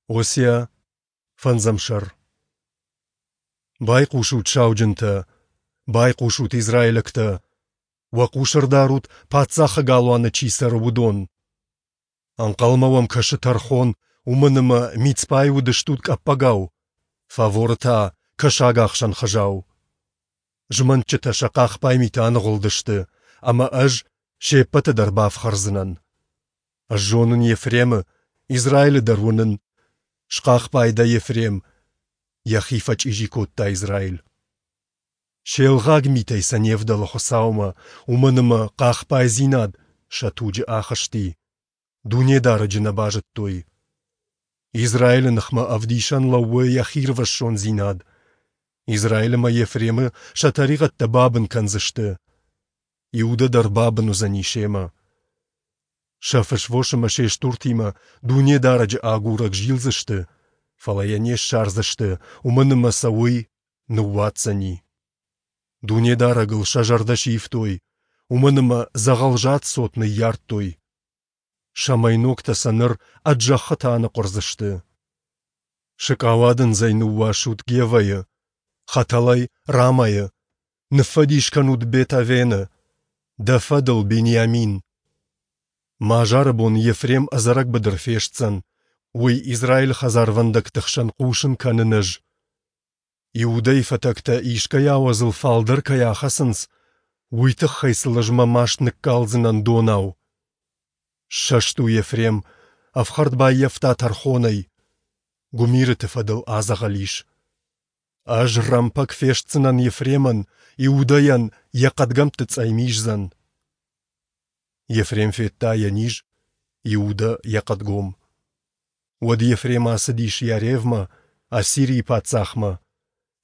Осиа, фӕндзӕм сӕр. Байхъусут, сауджынтӕ! Байхъусут, израилӕгтӕ! Уӕ хъус ӕрдарут, паддзахы галуаны чи цӕры, уыдон! Ӕнхъӕлмӕ уӕм кӕсы тӕрхон, уымӕн ӕмӕ Мицпайы уыдыстут къӕппӕгау, Фаворы та кӕсагахсӕн хызау. Змӕнтджытӕ сӕ хъахбай миты аныгъуылдысты, ӕмӕ ӕз се ппӕты дӕр бафхӕрдзынӕн. Ӕз зонын Ефремы, Израилы дӕр уынын. Схъахбай дӕ, Ефрем, йӕхи фӕчъизи кодта Израиль. Се лгъаг митӕй сӕ не вдӕлы Хуыцаумӕ, уымӕн ӕмӕ хъахбайдзинад сӕ туджы ахызти. Дунедарӕджы нӕ базыдтой. Израилы ныхмӕ ӕвдисӕн лӕууы йӕ хирвӕссондзинад. Израиль ӕмӕ Ефремы сӕ тӕригъӕдтӕ бабын кӕндзысты. Иудӕ дӕр бабын уыдзӕни семӕ. Сӕ фысвос ӕмӕ се стуртимӕ Дунедарӕджы агурӕг зилдзысты, фӕлӕ йӕ не ссардзысты, уымӕн ӕмӕ сӕ уый ныууадздзӕни. Дунедарӕгыл сӕ зӕрдӕ сивтой, уымӕн ӕмӕ дзӕгъӕлзад цот ныййардтой. Сӕ мӕйногтӕ сӕ ныр ӕд зӕххытӕ аныхъуырдзысты. Сыкъауадындзӕй ныууасут Гевӕйы, хӕтӕлӕй Рамайы, ныффӕдис кӕнут Бет-Авены, дӕ фӕдыл, Бениамин! Мӕ азары бон Ефрем ӕдзӕрӕг быдыр фестдзӕн, уый Израилы хӕдзарвӕндӕгты хсӕн хъусын кӕнын ӕз. Иудӕйы фӕтӕгтӕ искӕй ауӕдзыл фалдӕр кӕй ахӕцынц, уый тыххӕй сыл ӕз мӕ маст ныккалдзынӕн донау. Ссӕст у Ефрем, ӕфхӕрд баййӕфта тӕрхонӕй, гуымирыты фӕдыл адзӕгъӕл ис. Ӕз рӕмпӕг фестдзынӕн Ефремӕн, Иудӕйӕн йӕ хъӕдгӕмтты цъӕй миздзӕн. Ефрем федта йӕ низ, Иудӕ йӕ хъӕдгом. Уӕд Ефрем ацыдис Иаревмӕ, Ассирийы паддзахмӕ,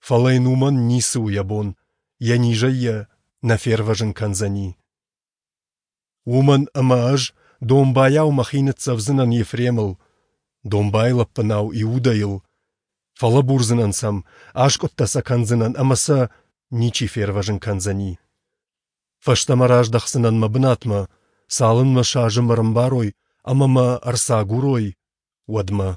фӕлӕ йын уымӕн ницы у йӕ бон, йӕ низӕй йӕ нӕ фервӕзын кӕндзӕни. Уымӕн ӕмӕ ӕз домбайау мӕхи ныццӕвдзынӕн Ефремыл, домбайы лӕппынау Иудӕйыл, фӕлӕбурдзынӕн сӕм, аскъуыдтӕ сӕ кӕндзынӕн ӕмӕ сӕ ничи фервӕзын кӕндзӕни. Фӕстӕмӕ раздӕхдзынӕн мӕ бынатмӕ, цалынмӕ сӕ азым ӕрӕмбарой ӕмӕ мӕ ӕрцагурой, уӕдмӕ.